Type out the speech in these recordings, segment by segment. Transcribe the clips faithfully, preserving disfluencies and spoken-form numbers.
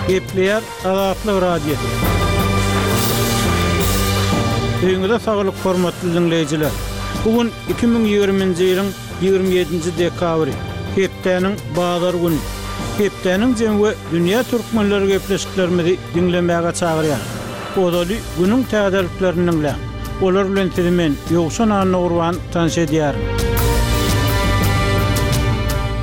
Gepleýär Azatlyk Radiosy. Öýüňize saglyk hormatly diňleýjiler. Bu gün iki müň ýigriminji ýylyň ýigrimi ýedinji dekabry, hepdäniň bazar güni. Hepdäniň jemi we dünýä türkmenleri gepleşiklerimizi diňlemäge çagyrýar. Ozaly günüň täzeliklerini diňläň. Olar bilen sizi men Ýowşan Annagurban tanyş edýärin.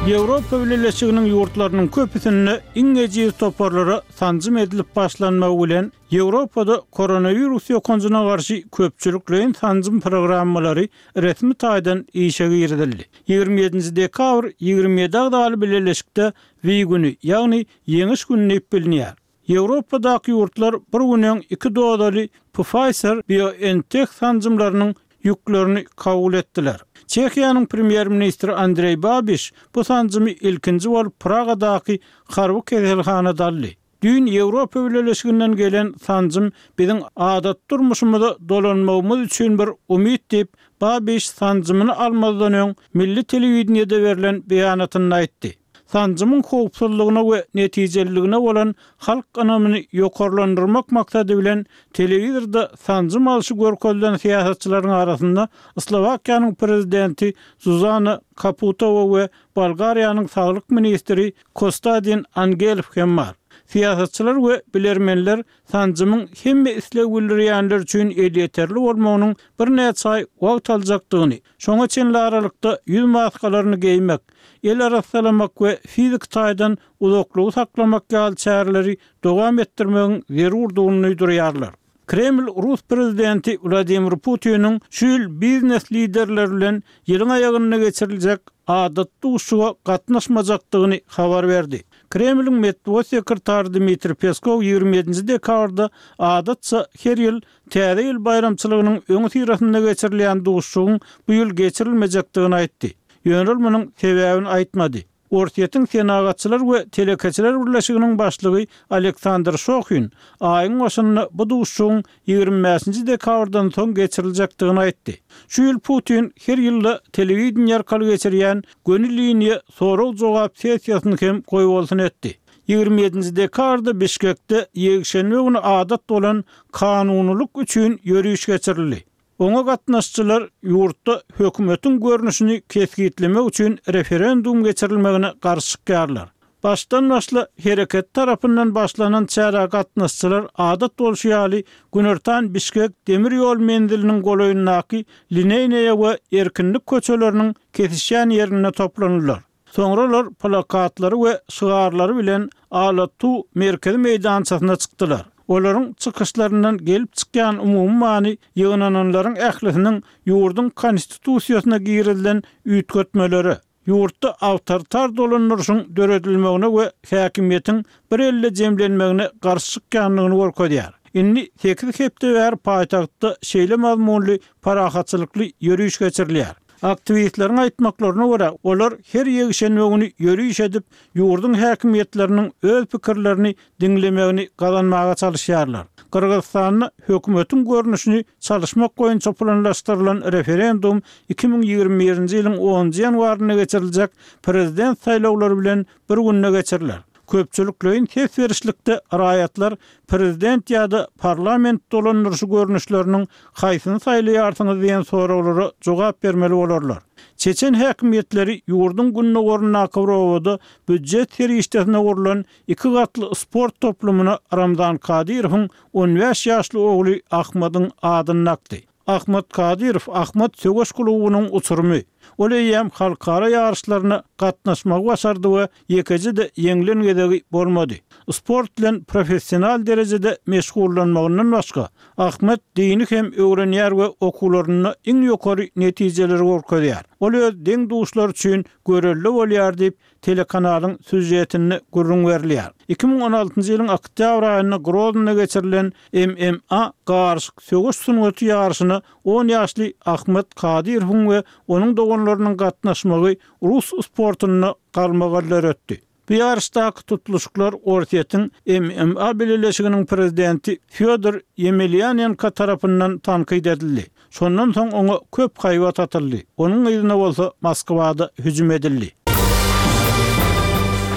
Ýewropa Bileleşiginiň ýurtlarynyň köpüsinde iň ejiz toparlara sanjym edilip başlanmagy bilen Ýewropada koronawirus ýokanjyna garşy köpçülikleýin sanjym programmalary resmi taýdan işe girizildi. Ýigrimi ýedinji dekabr ýigrimi ýedi agzaly bileleşikde V güni, ýagny Ýeňiş güni diýip bilinýär. Ýewropadaky ýurtlar bir gün öň iki dozaly Pfizer-BioNTech sanjymlarynyň ýüklerini kabul etdiler. Çehiýanyň premýer-ministri Andreý Babiş bu sanjymy ilkinji bolup Pragadaky harby keselhanada aldy. Düýn Ýewropa Bileleşiginden gelen sanjym biziň adaty durmuşymyza dolanmagymyz üçin bir umyt diýip, Babiş sanjymyny almazdan öň milli telewideniýede berlen beýanatynda aýtdy. Sanjymyň howpsuzlygyna we netijeliligine bolan halk ynamyny ýokarlandyrmak maksady bilen telewizorda sanjym alşy görkezilen syýasatçylaryň arasynda Slowakiýanyň prezidenti Zuzana Kaputowa we Bolgariýanyň saglyk ministri Kostadin Angelow hem bar. Syýasatçylar we bilermenler sanjymyň hemme isleg bildirýänler üçin elýeterli bolmagynyň birnäçe aý wagt aljakdygyny, şoňa çenli aralykda ýüz maskalaryny geýmek, el arassalamak we fiziki taýdan uzaklygy saklamak ýaly çäreleri dowam etdirmegiň zerurdygyny duýdurýarlar. Kreml Rus prezidenti Wladimir Putiniň şu ýyl biznes liderleri bilen ýylyň aýagynda geçiriljek adaty duşuşyga gatnaşmajakdygyny habar berdi. Kremliň metbugat sekretary Dmitriý Peskow ýigrimi ýedinji dekabrda adatça her ýyl Täze ýyl baýramçylygynyň öňüsyrasynda geçirilýän duşuşygyň bu ýyl geçirilmejekdigini aýtdy. Ýöne ol munuň sebäbini aýtmady. Orsýetiň Senagatçylar we telekeçiler birleşiginiň başlygy Aleksandr Şohin aýyň başynda bu duşuşygyň ýigrimi bäşinji dekabrdan soň geçiriljekdigini aýtdy. Şu ýyl Putin her ýylda telewideniýe arkaly geçirýän göni liniýa sorag-jogap sessiýasyny hem goýbolsun etdi. Ýigrimi ýedinji dekabrda Bişkekde ýekşenbe güni adat bolan kanunylyk üçin ýöriş geçirildi. Oňa gatnaşyjylar ýurtda hökümetiň görnüşini kesgitlemek üçin referendum geçirilmegine garşy çykýarlar. Başdan başla hereket tarapyndan başlanan çärä gatnaşyjylar adat bolşy ýaly günortan Bişkek demir ýol menziliniň golaýyndaky Lineýnaýa we Erkinlik köçeleriniň kesişýän ýerinde toplandylar. Soňra olar plakatlary we şygarlary bilen Ala-Too merkezi meýdançasyna çykdylar. Olaryň çykyşlaryndan gelip çykýan umumy many ýygnananlaryň ählisiniň ýurduň Konstitusiýasyna girizilen üýtgetmelere, ýurtda awtoritar dolandyryşyň döredilmegine we häkimiýetiň bir elde jemlenmegine garşy çykýandygyny görkezýär. Indi sekiz hepde bäri paýtagtda şeýle mazmunly parahatçylykly ýöriş geçirilýär. Aktiwistleriň aýtmaklaryna görä, olar her ýekşenbe güni ýöriş edip, ýurduň häkimiýetleriniň öz pikirlerini diňlemegini gazanmaga çalyşýarlar. Gyrgyzystanda hökümetiň görnüşini çalyşmak boýunça planlaşdyrylan referendum iki müň ýigrimi birinji ýylyň onunjy ýanwarynda geçiriljek prezident saýlawlary bilen bir günde geçiriler. Köpçülikleýin ses berişlikde raýatlar prezident ýa-da parlament dolandyryşy görnüşleriniň haýsyny saýlaýarsyňyz diýen soraglara jogap bermeli bolarlar. Çeçen häkimiýetleri ýurduň gündogaryndaky bir obada býujet serişdesine gurlan iki gatly sport toplumyna Ramzan Kadyrowyň on bäş ýaşly ogly Ahmadyň adyny dakdy. Ahmad Kadyrow Ahmad söweş klubunyň uçurymy. Ol eýýäm halkara ýaryşlaryna gatnaşmagy başardy we ýekeje-de ýeňlen gezegi bolmady. Sport bilen professional derejede meşgullanmagyndan başga, Ahmad dini hem öwrenýär we okuwlarynda iň ýokary netijeleri görkezýär. Ol öz deň-duşlary üçin görelde bolýar diýip, telekanalyň sýužetinde gürrüň berilýär. Iki müň on altynjy ýylyň oktýabr aýynda Groznda geçirilen M M A garyşyk söweş sungaty ýaryşyna on ýaşly Ahmad Kadyrowyň we onuň doganlarynyň gatnaşmagy rus sportunda galmagal döretdi. Bu ýaryşdaky tutluşyklar Orsýetiň M M A bileleşiginiň prezidenti Fýodor Ýemelýanenko tarapyndan tankyt edildi. Şondan soň oňa köp haýbat atyldy, onuň yzyna bolsa Moskwada hüjüm edildi.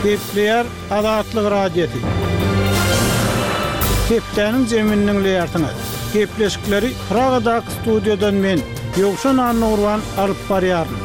Gepleýär Azatlyk Radiosy. Hepdäniň jemini diňleýärsiňiz. Gepleşikleri Pragadaky studiýadan men, Ýowşan Annagurban alyp barýaryn.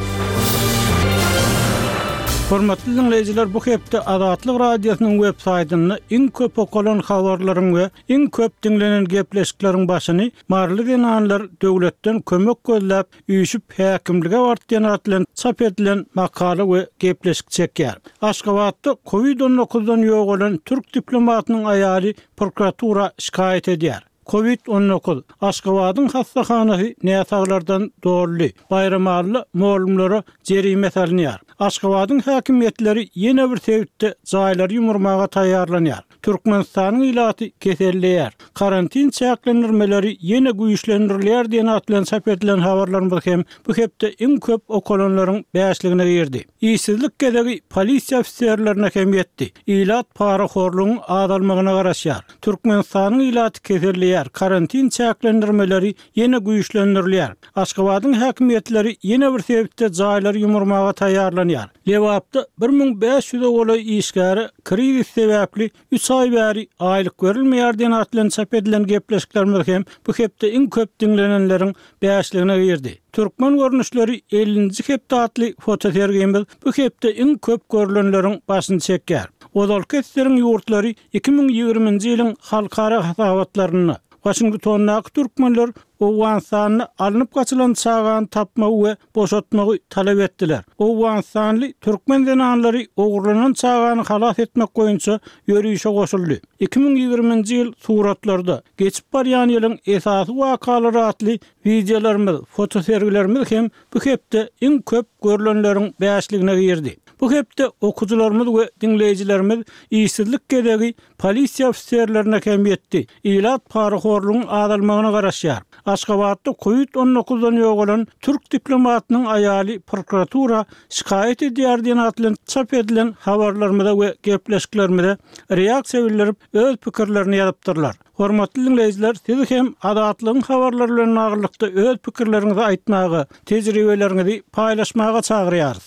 Hormatly diňleýjiler, bu hepde Azatlyk Radiosynyň web saýtynda iň köp okalan habarlaryň we iň köp diňlenen gepleşikleriň başyny Maryly zenanlar döwletden kömek gözläp, üýşüp häkimlige bardy diýen at bilen çap edilen makala we gepleşik çekýär. Aşgabatda Covid on dokuzdan ýogalan türk diplomatynyň aýaly prokuratura şikaýat edýär. Covid on dokuz Aşgabadyň hassahanasy näsaglardan doldy. Baýramalyda mugallymlara jerime salynýar. Aşgabadyň häkimiýetleri ýene bir sebitde jaýlary ýumurmaga taýýarlanýar. Türkmenistanyň ilaty keselleýär. Karantin çäklendirmeleri ýene güýçlendirilýär diýen at bilen çap edilen habarlarymyz hem bu hepde iň köp okalanlaryň bäşligine girdi. Işsizlik gezegi polisiýa ofiserlerine hem ýetdi. Ilat parahorlugyň azalmagyna garaşýar. Türkmenistanyň ilaty keselleýär. Karantin çäklendirmeleri ýene güýçlendirilýär. Aşgabadyň häkimiýetleri ýene bir sebitde jaýlary ýumurmaga taýýarlanýar. Lebapda bir müň bäş ýüze golaý işgäre krizis sebäpli üç aý bäri aýlyk berilmeýär diýen at bilen çap edilen gepleşiklerimiz hem bu hepde iň köp diňlenenleriň bäşligine girdi. Türkmen görnüşleri ellinji hepde atly fotosergimiz bu hepde iň köp görülenleriň başyny çekýär. Ozalky eseriň ýurtlary iki müň ýigriminji ýylyň halkara hasabatlarynda Waşingtondaky türkmenler Owganystanda alnyp gaçylan çagany tapmagy we boşatmagy talap etdiler. Owganystanly türkmen zenanlary ogurlanan çagany halas etmek boýunça ýörişe goşuldy. iki müň ýigriminji ýyl suratlarda geçip barýan ýylyň esasy wakalary atly wideolarymyz, fotosergilerimiz hem bu hepde iň köp görülenleriň bäşligine girdi. Bu hepde okuwçylarymyz we diňleýjilerimiz işsizlik gezegi polisiýa ofiserlerine hem ýetdi. Ilat parahorlugyň azalmagyna garaşýar. Aşgabatda Covid on dokuzdan ýogalan türk diplomatynyň aýaly prokuratura şikaýat edýär diýen at bilen çap edilen habarlarymyza we gepleşiklerimize reaksiýa bildirip öz pikirlerini ýazypdyrlar. Hormatly diňleýjiler, siz hem Azatlygyň habarlary bilen baglylykda öz pikirleriňizi aýtmaga, tejribeleriňizi paýlaşmaga çagyrýarys.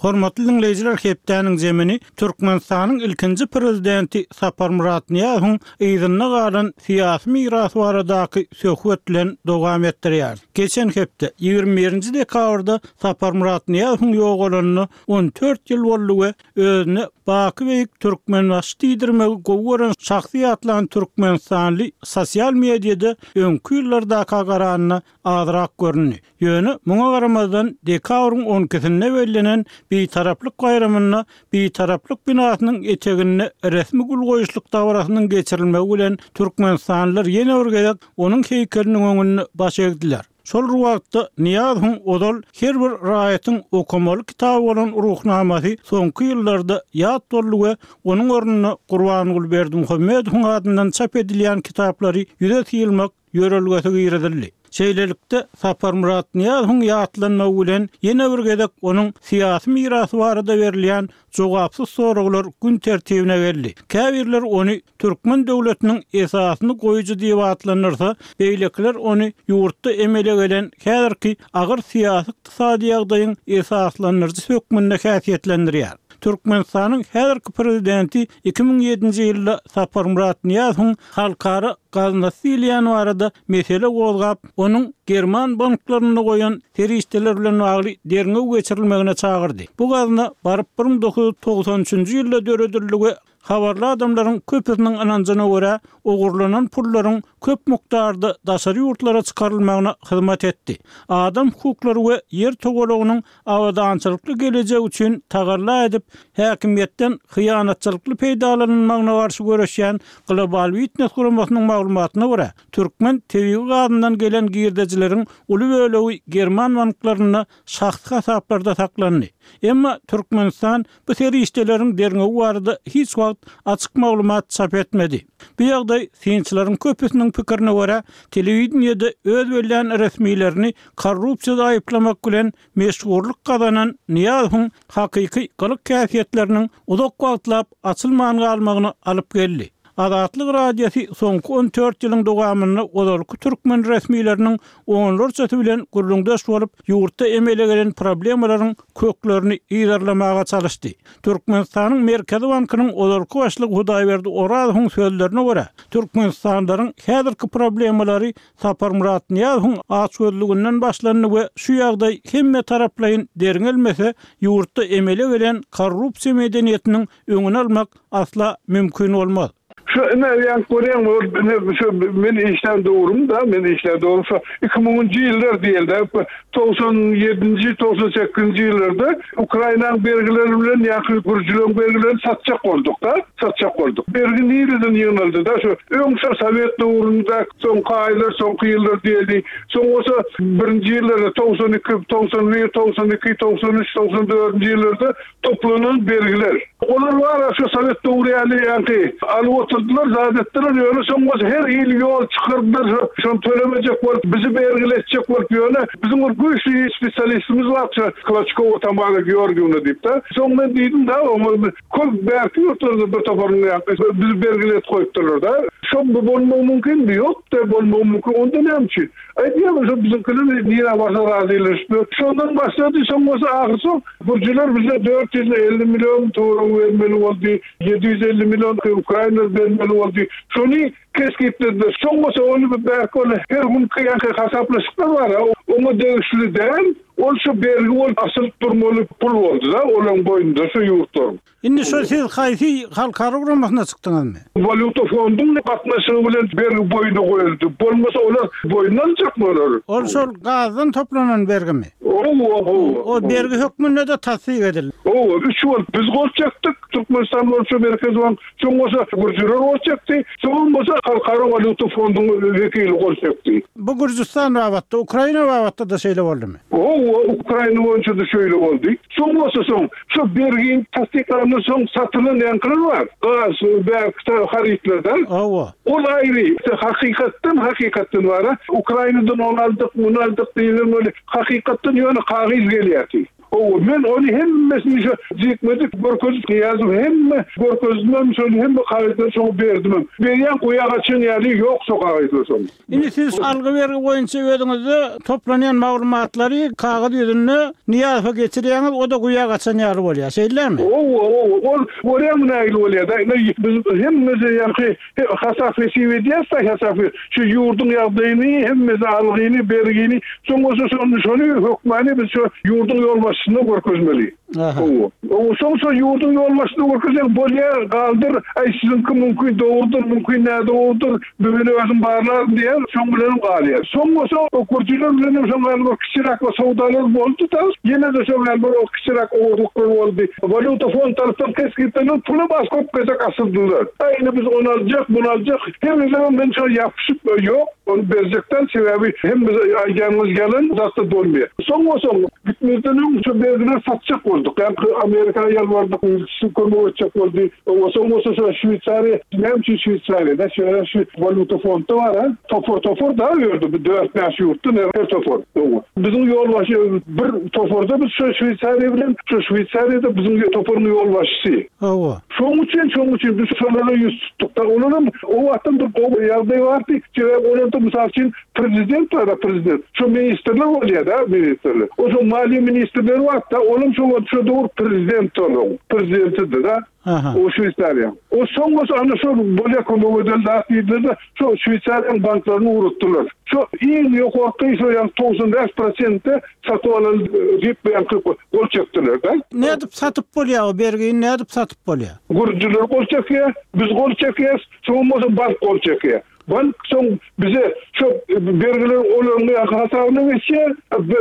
Hormatly diňleýjiler, hepdäniň jemini Türkmenistanyň ilkinji prezidenti Saparmyrat Nyýazowyň yzynda galan syýasy mirasy baradaky söhbet bilen dowam etdirýär. Geçen hepde ýigrimi birinji dekabrda Saparmyrat Nyýazowyň ýogalanyna on dört ýyl boldy we özüne Baky Beýik Türkmenbaşy diýdirmegi gowy gören şahsy ýatlan Türkmenistanly sosial mediada öňki ýyllardaka garanyna azrak göründi. Ýöne muňa garamazdan dekabryň on ikisinde bellenen Bitaraplyk baýramynda Bitaraplyk binasynyň eteginde resmi gül goýuşlyk dabarasynyň geçirilmegi bilen Türkmenistanlylar ýene bir gezek onuň heýkeliniň öňünde baş egdiler. Şol wagtda Nyýazowyň ozal her bir raýatyň okamaly kitaby bolan ruhnamasy soňky ýyllarda ýat boldy we onuň ornuna Gurbanguly Berdimuhamedowyň adyndan çap edilýän kitaplary ýüze syýylmak ýörelgesi girizildi. Şeýlelikde Saparmyrat Nyýazowyň ýatlanmagy bilen ýene bir gezek onuň syýasy mirasy barada berilýän jogapsyz soraglar gün tertibine geldi. Käbirler ony Türkmen döwletiniň esasyny goýujy diýip atlandyrsa, beýlekiler ony ýurtda emele gelen häzirki agyr syýasy ykdysady ýagdaýyň esaslandyryjysy hökmünde häsiýetlendirýär. Türkmenistanyň häzirki prezidenti iki müň ýedinji ýylda Saparmyrat Nyýazowyň halkara gaznasy diýilýän barada mesele gozgap, onuň German banklarynda goýan serişdeler bilen bagly derňew geçirilmegine çagyrdy. Bu gazna baryp bir müň dokuz ýüz togsan üçünji ýylda döredildi we habarly adamlaryň köpüsiniň ynanjyna görä ogurlanan pullaryň köp mukdarda daşary ýurtlara çykarylmagyna hyzmat etdi. Adam hukuklary we ýer togalagynyň abadançylykly gelejegi üçin tagalla edip, häkimiýetden hyýanatçylykly peýdalanylmagyna garşy göreşýän Global Witness guramasynyň maglumatyna görä, türkmen tebigy gazyndan gelen girdejileriň uly bölegi German banklarynda şahsy hasaplarda saklandy. Emma Türkmenistan bu serişdeleriň derňewi barada hiç wagt açyk maglumat çap etmedi. Bu ýagdaý synçylaryň köpüsiniň pikirine görä, telewideniýede öz bellän resmilerini korrupsiýada aýyplamak bilen meşhurlyk gazanan Nyýazowyň hakyky gylyk häsiýetleriniň uzak wagtlap açylman galmagyna alyp geldi. Azatlyk Radiosy soňky on dört ýylyň dowamynda ozalky türkmen resmileriniň onlarçasy bilen gürrüňdeş bolup, ýurtda emele gelen problemalaryň köklerini yzarlamaga çalyşdy. Türkmenistanyň Merkezi bankynyň ozalky başlygy Hudaýberdi Orazowyň sözlerine görä, Türkmenistanlylaryň häzirki problemalary Saparmyrat Nyýazowyň açgözlüginden başlandy we şu ýagdaý hemme taraplaýyn derňelmese, ýurtda emele gelen korrupsiýa medeniýetiniň öňüni almak asla mümkin bolmaz. Şu ine ýaňky görýäňmi, ol ine şu men işlän döwrüm da, men işlän döwrüm şu iki müňünji ýyllar diýeli-de, togsan ýedinji, togsan sekizinji ýyllarda Ukrainanyň bergileri bilen ýaňky gürjüleň bergilerini satjak bolduk-da, satjak bolduk. Bergi nireden ýygnaldy-da, şu öň şu sowet döwründe, soňky aýlar, soňky ýyllar diýeli, soň bolsa birinji ýyllarda togsan iki, togsan bir, togsan iki, togsan üç, togsan dördünji ýyllarda toplanan bergiler. Olar bar şu sowet döwri ýaly ýaňky alyp oturdylar, zat etdiler, ýöne soň bolsa her hili ýol çykardylar, şony tölemejek bolup, bizi bergiletjek bolup, ýöne biziň bir güýçli spesialistimiz bar, şu Kloçkowa Tamara Georgiýewna diýip-de. Soň men diýdim-de, oňa köp bärki ýurtlarda bir toparyň ýaňky bizi bergilet goýupdyrlar-da. Şo bu bolmagy mümkinmi? Ýok-da, bolmagy mümkin. Onda näme üçin? Aýdýarlar, şo biziňkiler nirä barsa razylaşyp, şondan başlady, soň bolsa ahyr soň gürjüler bize dört ýüz elli million töweregi bermeli boldy, ýedi ýüz elli million Ukraina bermeli boldy. Şony kesgitlediler. Soň bolsa ony bir bärki ol her günki ýaňky hasaplaşyklar bar, oňa degişli däl, ol şu bergi bolup asylyp durmaly pul boldy-da, olaryň boýnunda şu ýurtlaryň. Indi şo siz haýsy halkara guramasyna çykdyňyzmy? Walýuta fonduň gatnaşygy bilen bergi boýuna goýuldy. Bolmasa olar boýnuna aljakmy olar? Ol şol gazdan toplanan bergimi? Owa, owa. O bergi hökmünde-de tassyk edildi. Owa, üç bolup biz gol çekdik. Türkmenistan boýunça Merkezi bank, soň bolsa gürjüler gol çekdi, soň bolsa Halkara walýuta fonduň wekili gol çekdi. Bu Gürjüstan babatda, Ukraina babatda-da şeýle boldumy? Owa, Ukraina boýunça-da şeýle boldy. Soň bolsa soň şu bergini tassyklandan soň satylan ýaňkylar bar. Gaz, bärki harytlardan. Owa. Ol aýry, hakykatdan, hakykatdan bar. Ukrainadan ony aldyk, muny aldyk diýlen ol hakykatdan ýöne kagyz gelýärdi. Owa, men ony hemmesini şu jikmedik görkezip ýazyp, hemme görkezdimem, şony hemme kagyzlary şoňa berdimem. Berýän guýa gaçan ýaly ýok şo kagyzlar soň. Indi siz algy bergi boýunça özüňizde toplanýan maglumatlary kagyz ýüzünde Nyýazowa geçirýäňiz, o-da guýa gaçan ýaly bolýar, şeýlemi? Owa, owa, ol görýäňmi nähili bolýar-da? Indi biz hemmesi ýaňky hasap hesip edýäs-de, hasap şu ýurduň ýagdaýyny, hemmesi algyny, bergini, soň bolsa şony, şony hökmany biz şu ýurduň ýolbaşçysyna görkezmeli. Aha. Owa. Owa, soň şo ýurduň ýolbaşçysyna görkezseň, bolýar, galdyr, aý siziňki mümkin dogrudyr, mümkin nädogrudyr, men özüm barlaryn diýýär, şoň bilenem galýar. Soň bolsa o gürjüler bilenem şoň ýaly bir kiçiräk bir söwdalar boldy-da, ýene-de şoň ýaly bir o kiçiräk ogurlyklar boldy. Walýuta fond tarapdan kesgitlenen puly bas köp gezek asyrdylar. Aý, indi biz ony aljak, muny aljak, her gezegem men şo ýapyşyp, ýok, ony berjekden, sebäbi hemme aýdýanyňyz ýalan, zatda bolmaýar. Soň bolsa gitmezden öň şu bergileri satjak bolduk. Ýaňky Amerika ýalbardyk, ilçisi kömek etjek boldy. Owa, soň bolsa şu Şweýsariýa, näme üçin Şweýsariýada? Şeýle şu walýuta fondda bar, ha? Topar-topar da ýördi, bir dört-bäş ýurtda her topar. Owa. Biziň ýolbaşçy bir toparda biz şu Şweýsariýa bilen, şu Şweýsariýada biziň toparyň ýolbaşçysy. Owa. Şoň üçin, şoň üçin biz şolara ýüz tutduk-da, olaram o wagtdan bir gowy ýagdaý bardy. Sebäbi olarda mysal üçin prezident bar, prezident. Şu ministrler bolýar-da, ministrler. O şo maliýe ministrleri bar-da, olam şo wagt şo döwür prezident olaň, prezidentidi-de. Aha. O Şweýsariýa. O soň bolsa ana şo bolýa kömek eden zat diýdiler-de, şo Şweýsariýanyň banklaryny ugratdylar. Şo iň ýokarky şo ýaňky togsan bäş prosentde satyp alan diýip ýaňky gol çekdiler-de. Nädip satyp bolýar o bergini, nädip satyp bolýar? Gürjüler gol çekýär, biz gol çekýäs, soň bolsa bank gol çekýär. Bank soň bize şo bergiler olaryň ýaňky hasabyna geçýär,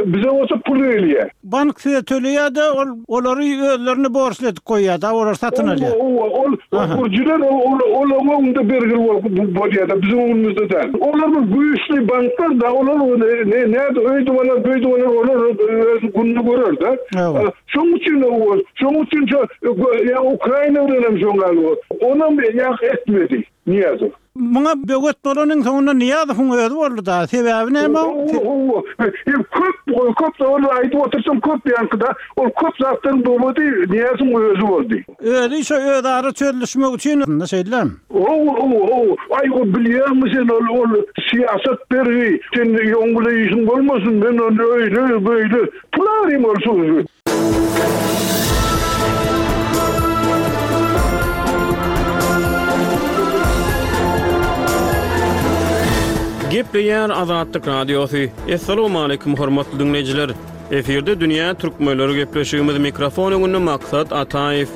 bize bolsa pul gelýär. Bank size töleýär-de, ol olary özlerine borçly edip goýýar-da, olar satyn alýar. Owa, owa, ol gürjüler olaryň öňünde bergili bolup bolýar-da, biziň öňümizde däl. Olar bir güýçli banklar-da, olar ne näde öýdüp alar, beýdip alar, olar öz gününi görer-de. Şoň üçin o, şoň üçin şo, ýa Ukraina bilen hem şoň ýaly boldy. Onam ýa etmedi. Nyýazow. Muňa böwet bolanyň soňunda Nyýazowyň özi boldy-da. Sebäbi näme? Köp, köp ol aýdyp otursam köp ýaňkyda, ol köp zatdan böwedi Nyýazowyň özi boldy. Özi şo özara çözülişmek üçin şeýle. O, o, o, aý o bilýärmi sen ol, ol syýasat bergi, sen ýoň bilen işiň bolmasyn, men ony öýle, böyle, pul alayım ol sözü. Gepleýär Azatlyk Radiosy. Assalamu hormatly dinleýjiler. Efirde Dünýä Türkmenleri gepleşigimiz mikrofon öňünde Maksat Ataýew.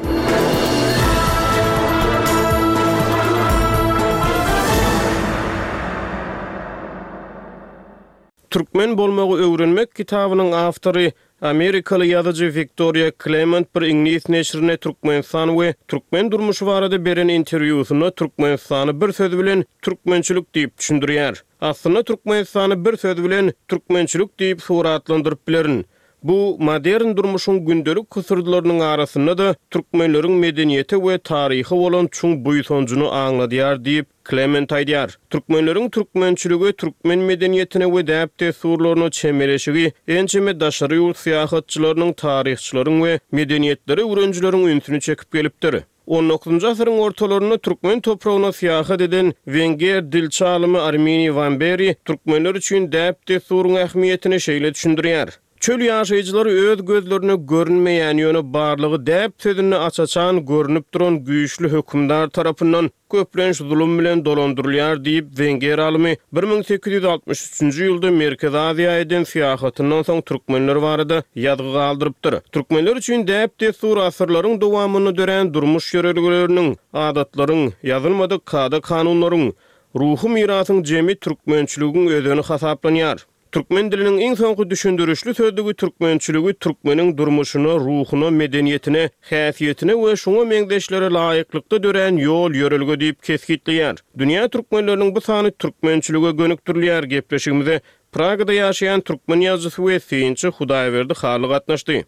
Türkmen bolmagy öwrenmek kitabynyň awtory Amerikaly ýazyjy Victoria Clement bir iňlis neşirine Türkmenistan we Türkmen durmuşy barada beren interwýusynda Türkmenistany bir söz bilen türkmençilik diýip düşündirýär. Aslynda Türkmenistany bir söz bilen türkmençilik diýip suratlandyryp bilerin. Bu modern durmuşyň gündelik hysyrdylarynyň arasynda da türkmenleriň medeniýeti we taryhy bolan çuň buýsanjyny aňladýar diýip Clement aýdýar. Türkmenleriň türkmençiligi, türkmen medeniýetine we däp-dessurlaryna çemeleşigi ençeme daşary ýurt syýahatçylarynyň, taryhçylaryň we medeniýetleri öwrenijileriň ünsüni çekip gelipdir. on dokuzunjy asyryň ortalarynda türkmen topragyna syýahat eden Wenger dilçi alymy Arminiý Wamberi türkmenler üçin däp-dessuryň ähmiýetini şeýle düşündirýär. Çöl ýaşaýjylary öz gözlerine görünmeýän ýöne barlygy däp sözünde açaçan görünüp duran güýçli hökümdar tarapyndan köplenç zulum bilen dolandyrylýar diýip Wenger alymy bir müň sekiz ýüz altmyş üçünji ýylda Merkezi Aziýa eden syýahatyndan soň türkmenler barada ýazgy galdyrypdyr. Türkmenler üçin däp-dessur asyrlaryň dowamynda dörän durmuş ýörelgeleriniň, adatlaryň, ýazylmadyk kada-kanunlaryň, ruhy mirasyň jemi türkmençiligiň özeni hasaplanýar. Türkmen diliniň iň soňky düşündirişli sözlügi türkmençiligi türkmeniň durmuşyna, ruhuna, medeniýetine, häsiýetine we şoňa meňzeşlere laýyklykda dörän ýol ýörelge diýip kesgitleýär. Dünýä türkmenleriniň bu sany türkmençilige gönükdirilýär. Gepleşigimize Pragada ýaşaýan türkmen ýazyjysy we synçy Hudaýberdi Hally gatnaşdy.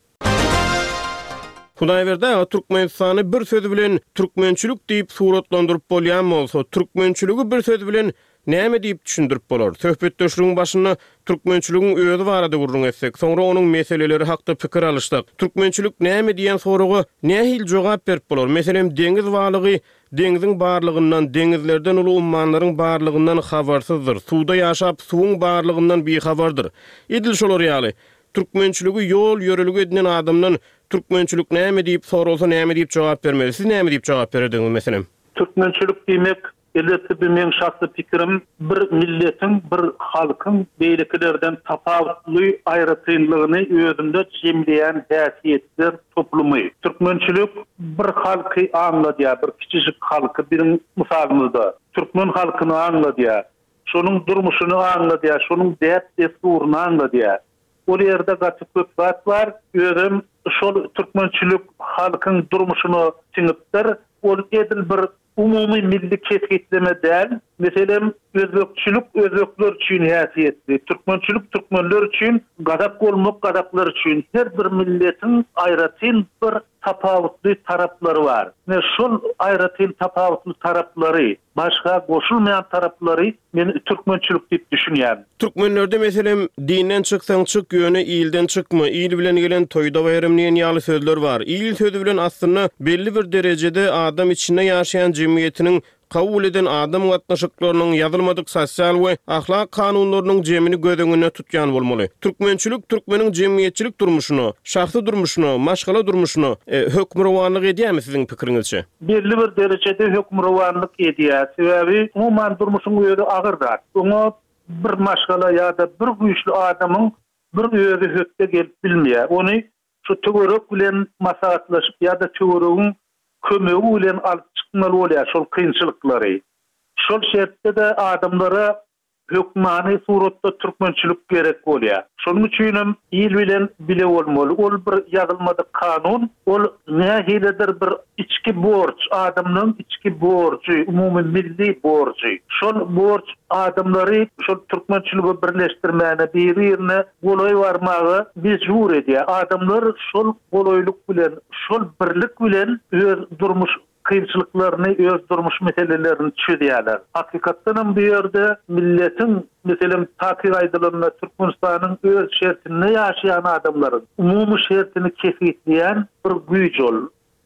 Hudaýberdi aga, Türkmenistany bir söz bilen türkmençilik diýip suratlandyryp bolýan bolsa, türkmençiligi bir söz bilen näme diýip düşündirip bolar? Söhbetdeşligiň başynda türkmençiligiň özi barada gürrüň etsek, soňra onuň meseleleri hakda pikir alyşsak. Türkmençilik näme diýen soraga nähili jogap berip bolar? Meselem, deňiz balygy deňziň barlygyndan, deňizlerden uly ummanlaryň barlygyndan habarsyzdyr. Suwda ýaşap, suwuň barlygyndan bihabardyr. Edil şolar ýaly, türkmençiligi ýol ýörelge edinen adamdan türkmençilik näme diýip soralsa näme diýip jogap bermeli? Siz näme diýip jogap bererdiňiz meselem? Türkmençilik diýmek elbetde bir meň şahsy pikirim, bir milletiň, bir halkyň beýlekilerden tapawutly aýratynlygyny özünde jemleýän häsiýetler toplumy. Türkmençilik bir halky aňladýar, bir kiçijik halky biziň mysalymyzda. Türkmen halkyny aňladýar, şonuň durmuşyny aňladýar, şonuň däp-dessuryny aňladýar. Ol ýerde gaty köp zat bar, özüm şol türkmençilik halkyň durmuşyna siňipdir. Ol edil bir umumy milli kesgitleme däl. Meselem, özbekçilik özbekler üçin häsiýetli, türkmençilik türkmenler üçin, gazak bolmak gazaklar üçin. Her bir milletiň aýratyn bir tapawutly taraplary bar. Ne şol aýratyn tapawutly taraplary, başga goşulmaýan taraplary men türkmençilik diýip düşünýän. Türkmenlerde meselem, dinden çyksaň çyk, ýöne ilden çykma, il bilen gelen toýda baýram diýen ýaly sözler bar. Il sözi bilen aslynda belli bir derejede adam içinde ýaşaýan jemgyýetiniň kabul eden adam gatnaşyklarynyň ýazylmadyk sosial we ahlak kanunlarynyň jemini göz öňünde tutýan bolmaly. Türkmençilik türkmeniň jemgyýetçilik durmuşyna, şahsy durmuşyna, maşgala durmuşyna, e, hökmürowanlyk edýärmi siziň pikiriňizçe? Belli bir derejede hökmürowanlyk edýär. Sebäbi umuman durmuşyň özi agyr zat. Oňa bir maşgala ýa-da bir güýçli adamyň bir özi hötde gelip bilmeýär. Ony şu töwerek bilen maslahatlaşyp ýa-da töweregiň kömegi bilen alyp çykmaly bolýar şol kynçylyklary. Şol şertde de adamlara hökmany suratda türkmençilik gerek bolýar. Şonuň üçin hem il bilen bile bolmaly. Ol bir ýazylmadyk kanun, ol nähilidir bir içki borç, adamlaryň içki borjy, umumy milli borjy. Şol borç adamlary şol türkmençiligi birleşdirmäne, bir-birine golaý barmaga mejbur edýär. Adamlar şol golaýlyk bilen, şol birlik bilen öz durmuş kynçylyklaryny, öz durmuş meselelerini çözýärler. Hakykatdanam bu ýerde milletiň, meselem, takyk aýdylanda Türkmenistanyň öz şertinde ýaşaýan adamlaryň umumy şertini kesgitleýän bir güýç ol.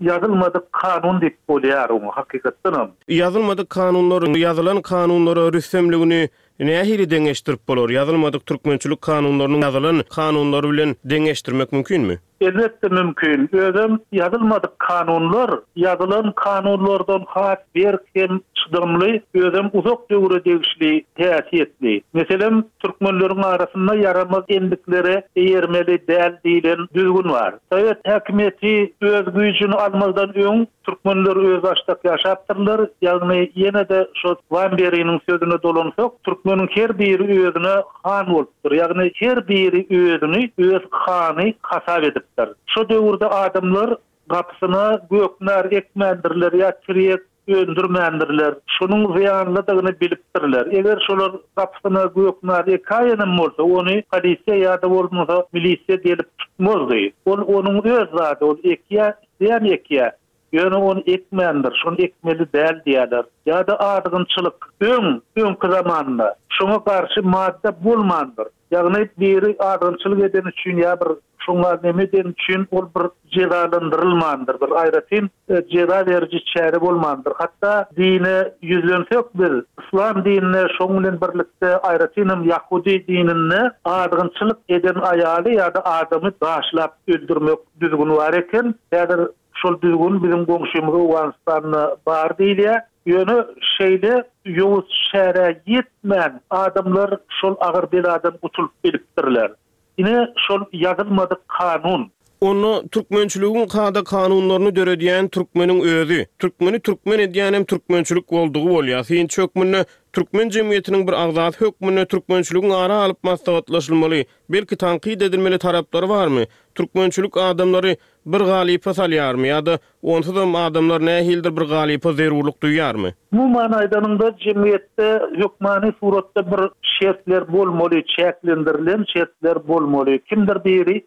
Ýazylmadyk kanun diýip bolýar oňa hakykatdanam. Ýazylmadyk kanunlar ýazylan kanunlara rüstemligini nähili deňeşdirip bolar? Ýazylmadyk türkmençilik kanunlarynyň ýazylan kanunlar bilen deňeşdirmek mümkinmi? Elbetde mümkin. Özem ýazylmadyk kanunlar ýazylan kanunlardan has berk hem çydamly, özem uzak döwre degişli häsiýetli. Meselem, türkmenleriň arasynda ýaramaz endiklere eýermeli däl diýlen düzgün bar. Sowet häkimiýeti öz güýjüni almazdan öň türkmenler özbaşdak ýaşapdyrlar. Ýagny ýene-de şo Wamberiniň sözüne dolansak, türkmeniň her biri özüne han bolupdyr. Ýagny her biri özüni öz hany hasap edipdir. Şo döwürde adamlar gapysyna göknar ekmändirler ýa tirýek öndürmändirler. Şonuň zyýanlydygyny bilipdirler. Eger şolar gapysyna göknar ekaýenem bolsa, ony polisiýa ýa-da bolmasa milisiýa gelip tutmazdy. Ol onuň öz zady, ol ekýä, isleýän ekýä. Ýöne ony ekmändir, şony ekmeli däl diýerler. Ýa-da azgynçylyk öň, öňki zamanda şoňa garşy madda bolmandyr. Ýagny biri azgynçylyk eden üçin ýa bir şoňa neme eden üçin ol bir jezalandyrylmandyr, bir aýratyn jeza beriji çäre bolmandyr. Hatda dine ýüzlensek biz, islam dinine şoň bilen birlikde aýratynam Ýahudi dininde azgynçylyk eden aýaly ýa-da adamy daşlap öldürmek düzgüni bar eken. Häzir şol düzgün biziň goňşymyz Owganystanda bar diýilýär. Ýöne şeýle ýowuz çärä ýetmän adamlar şol agyr beladan gutulyp bilipdirler. Ine şol ýazylmadyk kanun. Onda türkmençiligiň kada kanunlaryny döredýän türkmeniň özi, türkmeni türkmen edýänem türkmençilik boldugy bolýar. Synçy hökmünde türkmen jemgyýetiniň bir agzasy hökmünde türkmençiligiň ara alyp maslahatlaşylmaly, belki tankyt edilmeli taraplary barmy? Türkmençilik adamlary bir galypa salýarmy ýa-da onsuzam adamlar nähilidir bir galypa zerurlyk duýýarmy? Umuman aýdanyňda jemgyýetde hökmany suratda bir şertler bolmaly, çäklendirilen şertler bolmaly. Kimdir biri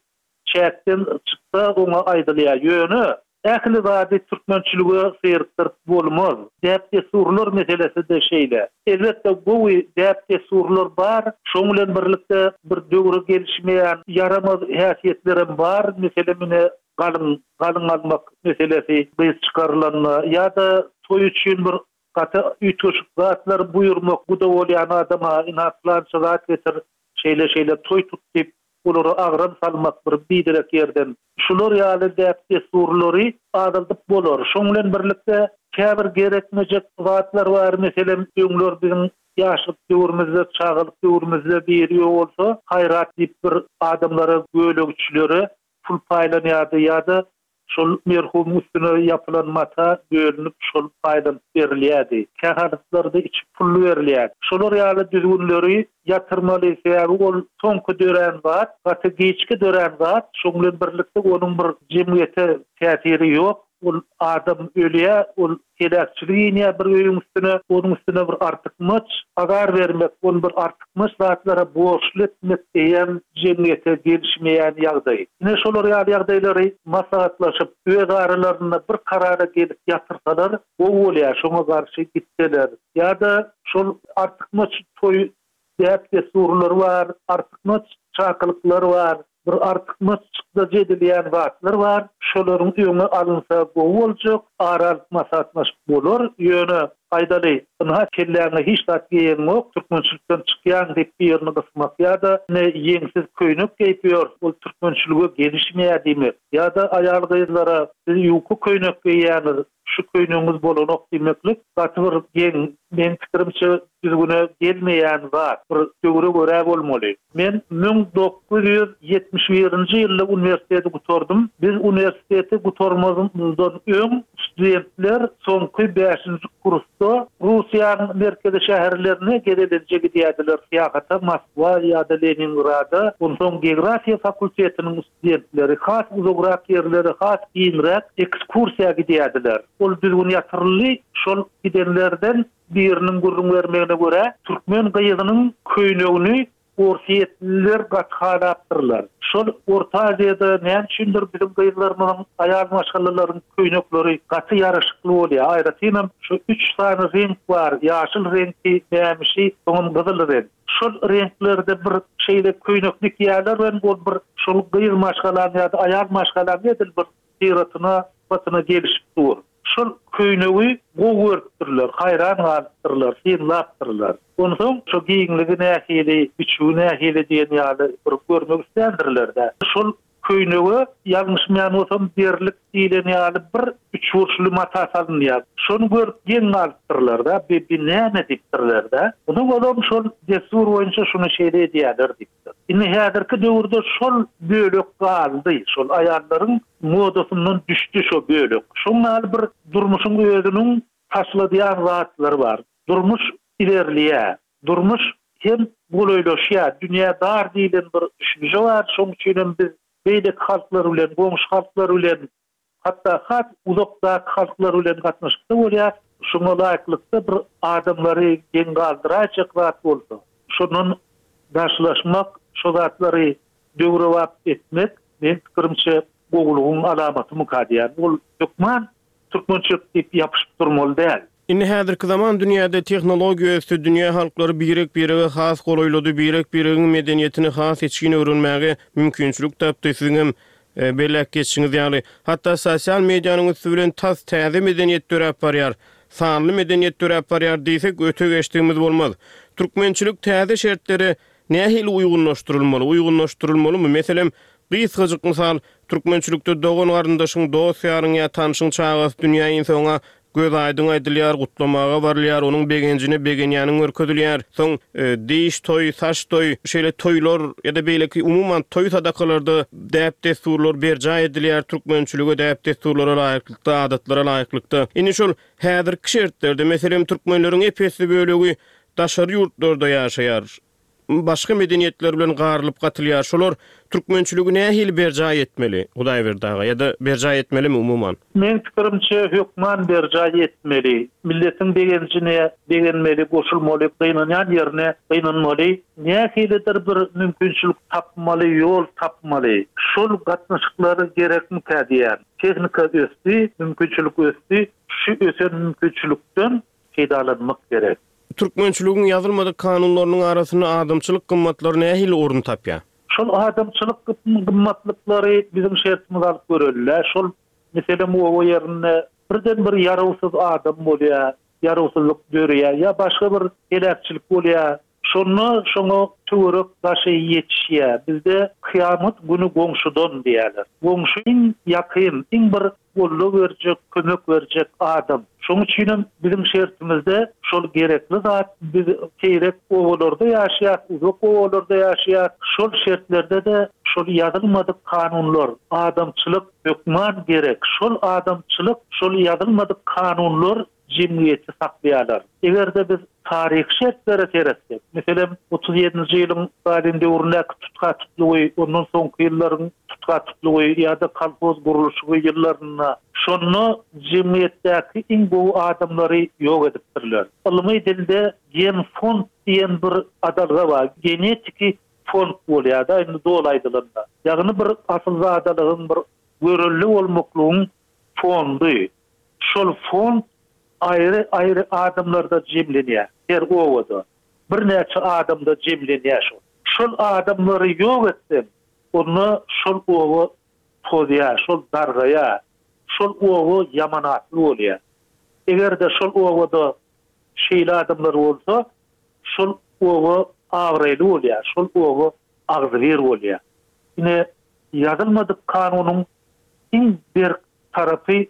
çäkden çyksa oňa aýdylýar. Ýöne ähli zady türkmençilige syrtdyryp bolmaz. Däp-dessurlar meselesi de şeýle. Elbetde gowy däp-dessurlar bar, şoň bilen birlikde bir döwre gelişmeýän ýaramaz häsiýetlerem bar. Meselem, ine galyň, galyň almak meselesi gyz çykarylanda ýa-da toý üçin bir gaty üýtgeşik zatlar buýurmak, guda bolýan adama ina plança zat getir, şeýle-şeýle toý tut diýip olara agram salmak bir biderek ýerden. Şular ýaly däp-dessurlary azaldyp bolar. Şoň bilen birlikde käbir gerekmejek zatlar bar. Meselem, öňler biziň ýaşlyk döwrümizde, çagalyk döwrümizde biri ýok bolsa, haýrat diýip bir adamlara, gölegçilere pul paýlanýardy ýa-da şol merhumyň üstüne ýapylan mata bölünip şol paýlanyp berilýärdi. Kähalatlarda içi pully berilýärdi. Şolar ýaly düzgünleri ýatyrmaly, sebäbi ol soňky dörän zat, gaty giçki dörän zat, şoň bilen birlikde onuň bir jemgyýete täsiri ýok. Ol adam ölýär, ol heläkçilik inýär bir öýüň üstüne, onuň üstüne bir artykmaç azar bermek, ony bir artykmaç zatlara borçly etmek eýem jemgyýete gelişmeýän ýagdaý. Ine şolar ýaly ýagdaýlary maslahatlaşyp, öz aralarynda bir karara gelip ýatyrsalar, gowy bolýar, şoňa garşy gitseler. Ýa-da şol artykmaç toý däp-dessurlary bar, artykmaç çakylyklar bar, bir artykmaç çykdajy edilýän zatlar bar. Şolaryň öňi alynsa gowy boljak, ara alyp maslahatlaşyp bolar. Ýöne aýdaly, ynha kelläňe hiç zat geýeňok, türkmençilikden çykýaň diýip bir ýerini gysmak ýa-da ine ýeňsiz köýnek geýip ýör, ol türkmençilige gelişmeýär diýmek. Ýa-da aýal gyzlara siz ýuka köýnek geýýäňiz, şu köýnegiňiz bolanok diýmeklik gaty bir geň, meň pikirimçe düzgüne gelmeýän zat, bir döwre görä bolmaly. Men müň dokuz ýüz ýetmiş birinji ýylda uniwersiteti gutardym. Biz uniwersiteti gutarmazymyzdan öň studentler soňky bäşinji kursda Russiýanyň merkezi şäherlerine gezelenje gidýärdiler, syýahata Moskwa ýa-da Leningrada. Onsoň geografiýa fakultetiniň studentleri has uzagrak ýerlere, has giňräk ekskursiýa gidýärdiler. Ol düzgün ýatyryldy, şol gidenlerden biriniň gürrüň bermegine görä, türkmen gyzynyň köýnegini Orsýetliler gaty halapdyrlar. Şol Orta Aziýada näme üçindir biziň gyzlarymyzyň, aýal maşgalalaryň köýnekleri gaty ýaraşykly bolýar. Aýratynam şu üç sany reňk bar, ýaşyl reňki, mämişi, soňam gyzyl reňk. Şol reňklerde bir şeýle köýnek dikýärler we ol bir şol gyz maşgalanyň ýa-da aýal maşgalanyň edil bir syratyna, sypatyna gelişip dur. Şol köýnegi gowy görüpdirler, haýran galypdyrlar, synlapdyrlar. Onsoň şo giňligi nähili, biçüwi nähili diýen ýaly bir görmek isländirler-dä. Şol köýnege, ýalňyşmaýan bolsam, derlik diýlen ýaly bir üçburçly mata salynýar. Şony görüp geň galypdyrlar-da, bi, bi näme diýipdirler-dä. Onsoň olam şol dessur boýunça şuny şeýle edýärler diýipdir. Indi häzirki döwürde şol bölek galdy, şol aýallaryň modasyndan düşdi şo bölek. Şoň ýaly bir durmuşyň özüniň taşladýan zatlary bar. Durmuş ilerleýär. Durmuş hem golaýlaşýar. Dünýä dar diýlen bir düşünje bar. Şoň üçin hem biz beýleki halklar bilen, goňşy halklar bilen, hatda has uzakdaky halklar bilen gatnaşykda bolýar. Şoňa laýyklykda bir adamlary geň galdyraýjak zat bolsa, şondan daşlaşmak, şo zatlary döwrebap etmek, meň pikirimçe, gowulygyň alamatymyka diýýän. Ol hökman türkmençilik diýip ýapyşyp durmaly däl. Indi häzirki zaman dünýäde tehnologiýa ösdi, dünýä halklary birek-birege has golaýlady, birek-biregiň medeniýetini has içgin öwrenmäge mümkinçilik tapdy. Siziňem belläp geçişiňiz ýaly, hatda sosial medianyň üsti bilen tas täze medeniýet döräp barýar, sanly medeniýet döräp barýar diýsek öte geçdigimiz bolmaz. Türkmençilik täze şertlere nähili uýgunlaşdyrylmaly, uýgunlaşdyrylmalymy? Meselem, gysgajyk mysal, türkmençilikde dogan-garyndaşyň, dost-ýaryň ýa tanşyň çagasy dünýä inse oňa göz aýdyň aýdylýar, gutlamaga barylýar, onuň begenjine begenýäniň görkezilýär. Soň diş toý, saç toý, şeýle toýlar ýa-da beýleki umuman toý sadakalarda däp-dessurlar berjaý edilýär, türkmençilige, däp-dessurlara laýyklykda, adatlara laýyklykda. Indi şol häzirki şertlerde, meselem, türkmenleriň ep-esli bölegi daşary ýurtlarda ýaşaýar. Başga medeniýetler bilen garylyp-gatylýar. Şolar türkmençiligi nähili berjaý etmeli, Hudaýberdi aga, ýa-da berjaý etmelimi umuman? Meň pikirimçe, hökman berjaý etmeli. Milletiň begenjine begenmeli, goşulmaly, gynanýan ýerine gynanmaly. Nähilidir bir mümkinçilik tapmaly, ýol tapmaly. Şol gatnaşyklar gerekmikä diýýän. Tehnika ösdi, mümkinçilik ösdi. Şu ösen mümkinçilikden peýdalanmak gerek. Türkmençiligiň ýazylmadyk kanunlarynyň arasynda adamçylyk gymmatlary nähili orun tapýar? Şol adamçylyk gymmatlyklary biziň şertimize alyp göreli-dä. Şol, meselem, oba ýerinde birden bir ýarawsyz adam bolýar, ýarawsyzlyk döreýär ýa başga bir heläkçilik bolýar. Şonda şoňa töwerek daşy ýetişýär. Bizde kyýamat güni goňşudan diýýärler. Goňşy iň ýakyn, iň bir goldaw berjek, kömek berjek adam. Şonuň üçinem biziň şertimizde şol gerekli zat. Biz seýrek obalarda ýaşaýas, uzak obalarda ýaşaýas. Şol şertlerde-de şol ýazylmadyk kanunlar, adamçylyk hökman gerek. Şol adamçylyk, şol ýazylmadyk kanunlar jemgyýeti saklaýarlar. Eger-de biz taryhy şertlere seretsek, meselem, otuz ýedinji ýylyň Stalin döwründäki tutha-tutlugy, ondan soňky ýyllaryň tutha-tutlugy ýa-da kolhoz gurluşygy ýyllarynda, şonda jemgyýetdäki iň gowy adamlary ýok edipdirler. Ylmy dilde genfond diýen bir adalga bar, genetiki fond bolýar-da, indi doly aýdylanda. Ýagny bir asylzadalygyň, bir görelde bolmaklygyň fondy. Şol fond aýry-aýry adamlarda jemlenýär. Her obada birnäçe adamda jemlenýär şol. Şol adamlary ýok etseň, onda şol oba tozýar, şol dargaýar. Şol oba ýamanatly bolýar. Eger-de şol obada şeýle adamlar bolsa, şol oba abraýly bolýar, şol oba agzybir bolýar. Ine, ýazylmadyk kanunyň iň berk tarapy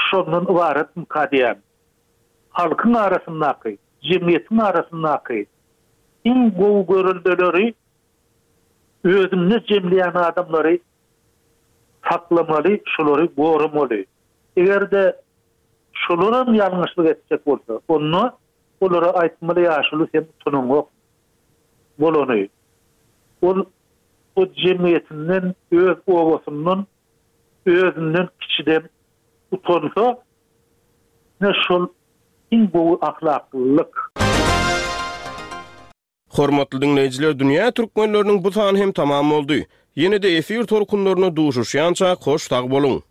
şondan ybaratmyka diýýän. Halkyň arasyndaky, jemgyýetiň arasyndaky iň gowy göreldeleri özünde jemleýän adamlary saklamaly, şolary goramaly. Eger-de şolaram ýalňyşlyk etjek bolsa, onda olara aýtmaly ýaşuly sen utanaňok bolany. Ol o jemgyýetinden, öz obasyndan, özünden kiçiden utansa, ine şol iň gowy ahlaklylyk. Hormatly diňleýjiler, Dünýä türkmenleriniň bu sany hem tamam boldy. Ýene-de efir tolkunlarynda duşuşýançak hoş sag boluň!